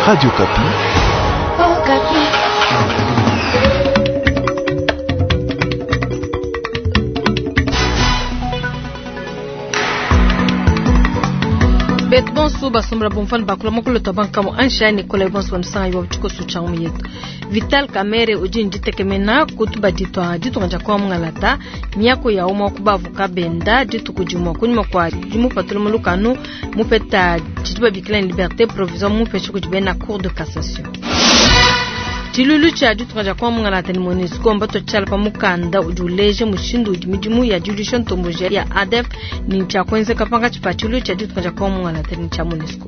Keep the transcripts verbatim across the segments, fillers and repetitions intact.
Radio Okapi. Oh, Okapi. Betu bonso basombela bomfana bakula mokolo to banka ansha Nicolas bonso bansanga yo tshiko sucha mu yetu. Vital Kamerhe udi nditekemena kutuba ditwa ditunga dia kwa mungalata miako ya umwa kubavuka benda dituku dimwa kunyuma kwa dimupatula mu lukanu mupeta tshituba bikila liberté provisoire mupesha kudi bena cour de cassation. Tshilulu tshia ditunga dia kwa mungalata ni MONUSCO mbato tshiala pa mukanda udi uleja mushindu udi midimu ya diluisha ntomboji ya A D F ni tshia kuenzeka pankatshi pa tshilulu tshia ditunga dia kwa mungalata ni tshia MONUSCO.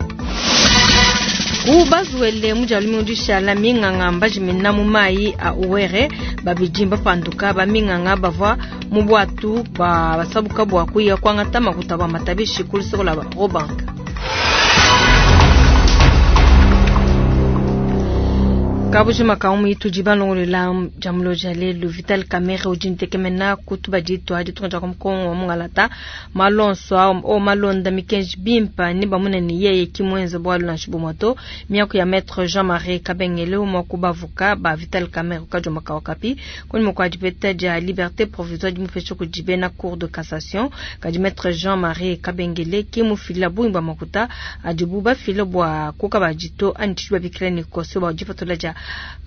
Ubazuele mujalu mundisha minganga mbajimina mu mai a uwere babijimba panduka ba minganga bavwa mu bwatu ba basabuka bwa kuya kwangata makuta ba matabishi kulisokola ba Robank. Kabuji makaumu itu jibalongolela jamulo jale Vital Kamerhe udi ntekemena kutuba ditwa ditunga dia Kongo wa mungalata malonso o malonda mikenji bimpa ni bamuna ni yeye kimwenza bwalu na shibumoto miako ya maître Jean-Marie Kabengele mwa kubavuka ba Vital Kamerhe kajo makawakapi kuni mwa dipeta dia liberté provisoire di mufesho kujibe na cour de cassation kadi maître Jean-Marie Kabengele kimufila buimba makuta adibu fila bwa kukabajito antichwa bikilani koso ba jipatola ja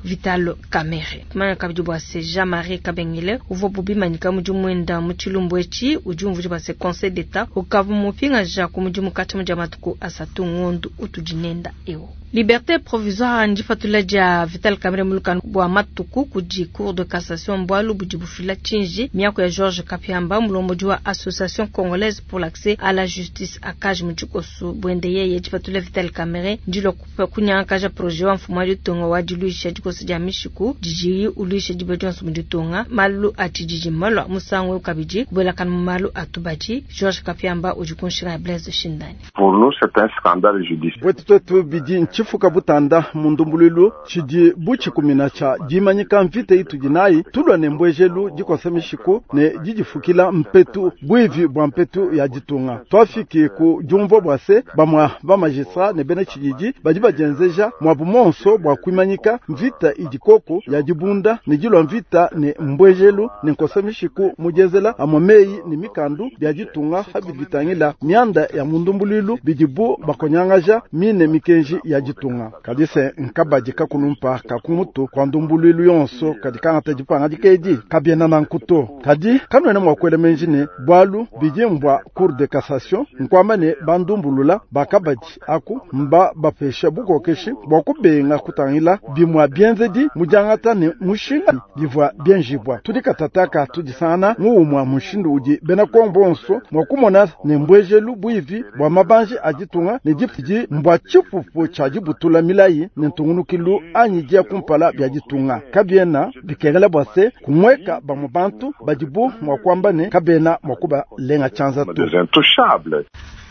Vital Kamerhe. Mana kabidi bwa se Jean-Marie Kabengele uvo bubi manika muji mwenda muchilumbu echi ujumvu bwa se Conseil d'État ukavu mupinga ja kumuji mukati muja matuku asatu ngondu utujinenda eo. Liberté provisoire ndifatula dia Vital Kamerhe mulukanu bwa matuku kudi cour de cassation mbwalu budi bufila chinji miako ya Georges Kapiamba mulomboji wa Association Congolaise pour l'accès à la justice akaji mujikosu bwende yeye difatula Vital Kamerhe ndilo kunyakaja projet wa mfumo wa ditunga wa diluisha dikosi dia mishiku diji ulisha dibe dionso muditunga malu atijiji malwa musango kabidi kubelakana malu atubaji Georges Kapiamba udi kunshira Blaise Shindani. Pour nous c'est un scandale judiciaire. Wetu twetu bidi chifuka butanda mundumbululu chidi buchikumina cha jimanyika mvite itu jinayi tulwa ne mbwejelu dikosa mishiku ne jijifukila mpetu bwivi bwa mpetu ya ditunga twafiki ku jumvo bwase bamwa ba magistrat ne bene chijiji badi bajenzeja mwabu monso bwa kwimanyika mvita idikoko ya dibunda ne jilwa mvita ne mbwejelu ne nkosa mishiku mujezela amwameyi ne mikandu bya ditunga habivitangila mianda ya mundumbululu bidibu bakonyangaja mine mikenji ya ditunga kadise nkabaji kakulumpa kakumutu kwa ndumbululu yonso kadi kangata dipanga dikedi kabiena na nkuto kadi kanwene mwakwele menji ne bwalu bidi mbwa cour de cassation nkwamba ne bandumbulula bakabaji aku mba bapesha bukokeshi bwa kubenga kutangila bimwa bienzedi mujangata ne mushinga bivwa bienjibwa tudi katataka tudisana muumwa mushindu udi bena kombonso mwakumona ne mbwejelu bwivi bwa mabanji aditunga ne dipidi mbwa chipupu cha dibutula milayi ne ntungunukilu anyi dia kumpala bya ditunga kabiena bikengela bwase kumweka bamwe bantu badibu mwakwamba ne kabena mwakuba lenga chanza tu.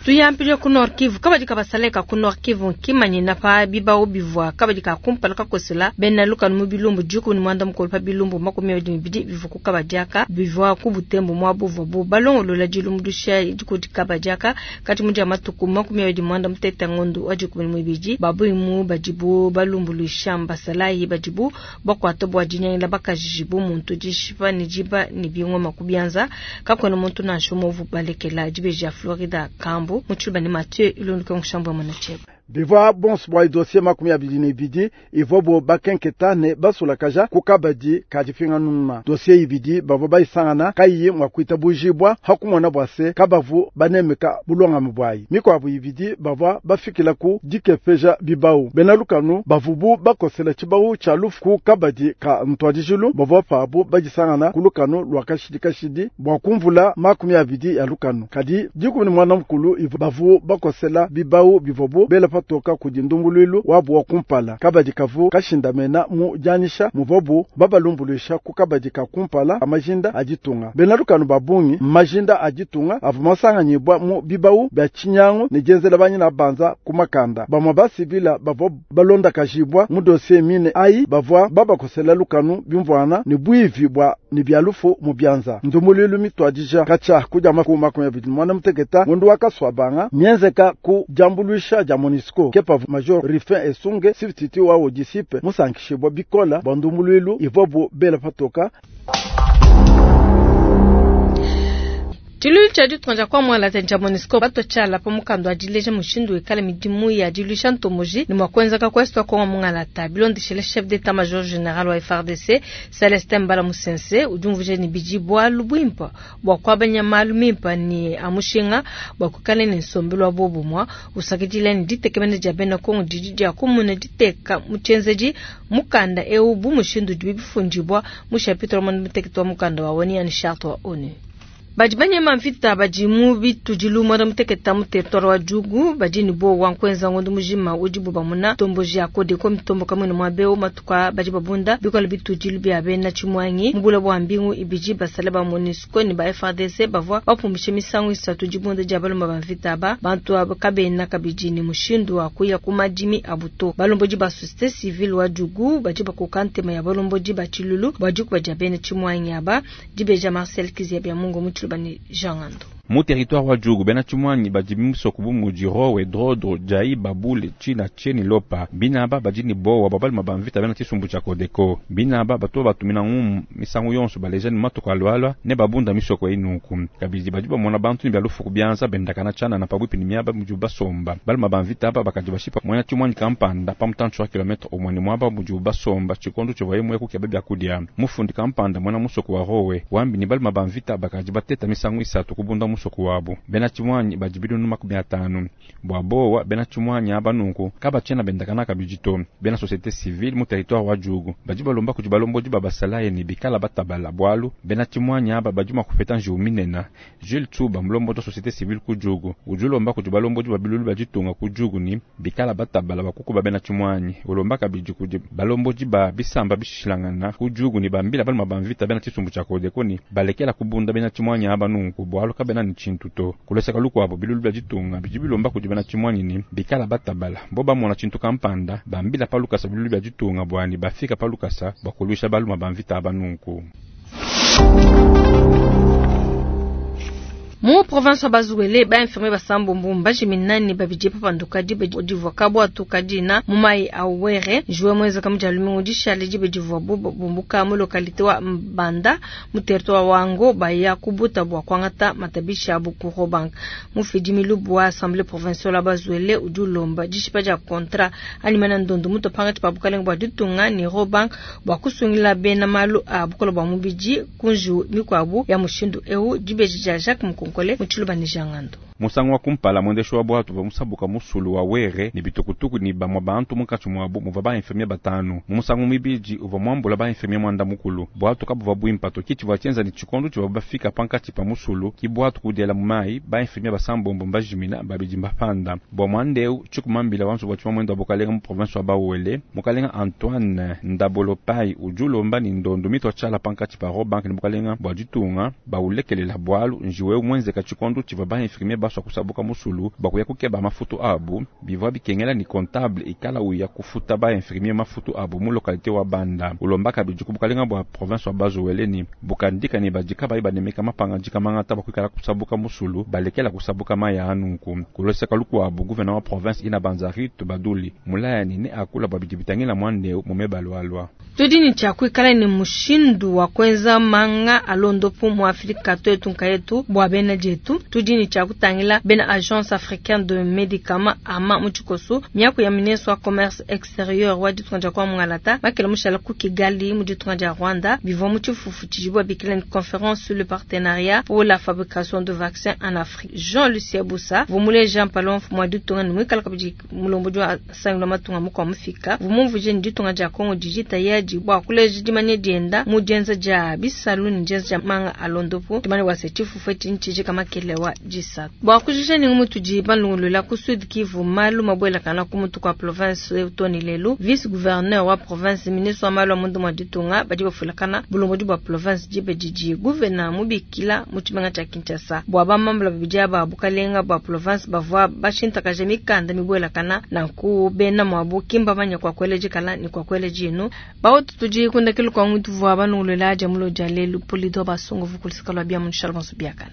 Tuyampile ku Nord Kivu kabadi kabasaleka ku Nord Kivu nkimanyina pa bibao bivwa kabadi kakumpala kakosela bena lukanu mu bilumbu juku ni mwanda mukolo pa bilumbu makumi abidi bibidi bivuku kabadiaka bivwa ku butembo mwa buvwa bu balongolola dilumbu dusha dikudi kabadiaka kati mudia matuku makumi abidi mwanda muteta ngondu wa dikumi mibidi babuimu badibu balumbuluisha mbasalayi badibu bakwata bwa dinyangila bakajijibu muntu dishipa ni jiba ni bingoma kubianza kakwena muntu nansho movu balekela dibeji ya Florida Kambo muchuba ni Mathieu ilunduka ngushambo mwana cheba bivwa bonso bwa dossier makumi abidi ne ibidi ivwa bo bakenketa ne basulakaja kukabadi kadipinga nuna dossier ibidi bavwa bayisangana kayiyi mwakwita bujibwa hakumona bwase kabavu banemeka bulongami bwayi mikwabu ibidi bavwa bafikila ku dikepeja bibau bena lukanu bavubu bakosela tshibau tsha lufu ku kabadi ka ntwadijilu bavwa pabu badisangana ku lukanu lwa kashidi kashidi bwa kumvula makumi abidi ya lukanu kadi dikumi ni mwana mukulu ivwa bavu bakosela bibau bivwabu bela toka kudi ndumbuluilu wabu wa kumpala kabadi kavu kashindamena mu janisha muvobu babalumbulisha ku kabadi ka kumpala amajinda aditunga bena lukanu babungi majinda aditunga avu masanganyibwa mu bibau bya chinyangu ne jenzela banyina banza kumakanda bamwa basivila bavwa balonda kajibwa mu dossier mine ayi bavwa babakosela lukanu bimvwana ne bwivi bwa ne bia lufu mu bianza. Ndumbuluilu mituadija katshia kudia makumi abidi muanda muteketa ngondu wa Kasuabanga mienzeka ku diambuluisha dia MONUSCO kepavu Major Rufin Esunge substitut wa O D C I P musankishibwa bikola bwa ndumbuluilu ivwabu bela patoka. Tshiluilu tshia ditunga dia kuamuala tshia MONUSCO bato tshiala pa mukanda wa dileja mushindu wikala midimu ya diluisha ntomboji ne mua kuenzeka ku est wa Kongo mungalata. Bilondeshile chef d'état major général wa F A R D C Celestin Mbala Musense, udi umvuija ne bidi bualu buimpe bua kuabanya malu mimpe ne a mushinga bua kuikala ne nsombelu wa bobumue, usakidila ne ditekemena dia bena Kongo didi dia kumuna diteka mu tshienzedi mukanda eu bu mushindu udi bifundibua mu chapitre wa muanda wa mukanda wa ONU yani charte wa ONU. Badi banyema mvita badi mu bitudilu muanda muteketa mu territoire wa Djugu badi ne bowa nkuenza ngondo mujima udibu bamuna tomboji ya Codeco mitomboka mwene mwabeo matuka badi babunda bikola bitudilu bia bena Tshimwangi mubula bua mbingu ibidi. Basale ba MONUSCO ne ba F A R D C bavua bapumbishe misangu isatu dibunda dia baluma ba mvita aba. Bantu aba kabena kabidi ne mushindu wa kuya ku madimi abu to. Balombodi ba société civile wa Djugu badi bakoka ntema ya balombodi ba tshilulu bua dikuba dia bena Tshimwangi aba. Dibeja Marcel Kizia bia Mungu mu Tshiluba ne Jean Ngando. Mu territoire wa Djugu, bena Tshimwangi badi musoko bu mudi Rowe, Drodro, Jai, Babule, Tshina, Tsheni, Lopa. Binaba badi ne bowa bua baluma ba mvita bena tshisumbu tshia Codeco. Binaba bato batumina ngumu misangu yonso baleja ne matuku alualua ne babunda misoko eyi nunku. Kabidi badi bamona bantu ne bia lufu ku bianza bendakana tshianana pabuipi ne miaba mudibu basomba. Baluma ba mvita aba bakadi bashipa muena Tshimwangi kampanda pa mutantshi wa kilometre umue ne muaba mudibu basomba tshikondo tshivuaye muye kukeba biakudia. Mufundi kampanda muena musoko wa Rowe wambi ne baluma ba mvita bakadi bateta misangu isatu kubunda musoko wabu. Bena Tshimwanyi badi binunu makumi atanu. Bua bowa, bena Tshimwanyi aba nunku kabatshiena bendakana kabidi to. Bena société civile mu territoire wa Djugu badi balomba kudi balombodi ba basalayi ne bikala batabala, bualu bena Tshimwanyi aba badi mua kupeta njiwu minene. Jules Tsuba, mulombodi wa société civile ku Djugu, udi ulomba kudi balombodi ba bilulu bia ditunga ku Djugu ni bikala batabala bakukuba bena Tshimwanyi. Ulomba kabidi kudi balombodi ba bisamba bishilangana ku Djugu ni bambila baluma ba mvita bena tshisumbu tshia Codeco ni balekela kubunda bena Tshimwanyi aba nunku, bualu kabena ne tshintu to. Kuleseka lukuabo, bilulu bia ditunga bidi bilomba kudi bena Tshimwanyi ni bikala batabala bo bamona tshintu kampanda, bambila pa lukasa bilulu bia ditunga bwani bafika pa lukasa bua kuluisha baluma ba mvita aba nunku. Mu province wa Bas-Uele, ba infirmier basambombo mbajiminani babidi papanduka dibe divua kabwatu kadina mu mai a Uwere juwe mwezi kamu dia lumingu dishale. Dibe divua bumbuka mu localité wa Mbanda mu territoire wa Wango baya kubuta bua kuangata matabisha abu ku Rawbank. Mufidi milubu wa assemblée provinciale wa Bas-Uele udi ulomba dishipa dia contrat animana ndondo mutu pangatshi pa bukalenga bua ditunga ne Rawbank bua kusungila bena malu a bukola bua mubidi ku njiwu mikuabu ya mushindu eu. Dibeji dia Jacques Mukonkole mu Tshiluba ne Jean Ngando. Musangu wa kumpala mwendeshi wa bwatu bwa musabuka musulu wa Were ne bitukutuku ni bamwa bantu munkatshi muabu muvua ba infirmier batanu. Mu musangu mibidi uvua muambula ba infirmier mwanda mukulu. Bwatu kabuvua buimpa to, ki tshivua tshienza ni tshikondo tshivua bafika pankatshi pa musulu ki bwatu kudiela mu mayi. Ba infirmier basambombo mbajimina, babidi mbapanda. Bua muandeu tshikumambila wanzu bua tshima mwendo wa bukalenga mu province wa Bas-Uele, mukalenga Antoine Ndabolopai, udi ulomba ni ndondo mitwa tshiala pankatshi pa Rawbank ne bukalenga bua ditunga baulekelela, bualu njiwe mwenzeka tshikondo tshivua ba infirmier basua kusabuka musulu bakuya kukeba mafutu abu. Bivua bikengela ni comptable ikala uya kufuta ba infirmier mafutu abu mu localité wa Banda. Ulomba kabidi ku bukalenga bua province wa Bas-Uele ni bukandika ni badika bayi banemeka mapangadika mangata bakuikala kusabuka musulu, balekela kusabuka maya anunku. Kuloseka lukuabu, gouverneur wa province ina Banzaritu Baduli mulaya ni ne akula bua bidi bitangila mwandeu mume balualua. Tudi ni tshia kuikala ne mushindu wa kuenza manga alondopu mu Afrika twetu nkayetu bua bena dietu. Tudi ni tshia kutangila bena Agence africaine de médicaments AMA mu tshikoso. Miaku ya ministre wa commerce extérieur wa ditunga dia kwa mungalata makela mushala ku Kigali mu ditunga dia Rwanda bivua mu tshifufu tshidibu babikila ni conférence sur le partenariat pour la fabrication de vaccins en Afrique. Jean Lucien Bussa vumule Jean Palon mwa ditunga ni mwikala kabidi mulombodi wa sangilo matunga mukwa mufika vumumvuje ni ditunga dia Kongo dijita yadi bua kuleja dimanya dienda mu dienza dia bisalu ni dienza dia manga alondopo. Dimanya wase tshifufu etshi ntshijika makele wa disatu bua kujisha ningu mutudi balungulula ku Sud Kivu malu mabwelakana ku mutu kwa province toni lelu. Vice gouverneur wa province, ministre wa malu a mundu mwa ditunga badi bafulakana bulombodi bua province dibe didi gouverneur mubikila mu tshimenga tshia Kinshasa bua bamambula babidi aba bukalenga bua province bavua bashintakaje mikanda mibwelakana nanku bena mwabu kimba manya kwa kwele dikala ni kwa kwele dinu ba. Bautu tudi kundakilo kwa muntu vwa banungulula jamulo ja lelu polido basungu vukulisika lwa bia munshala bonso biakana.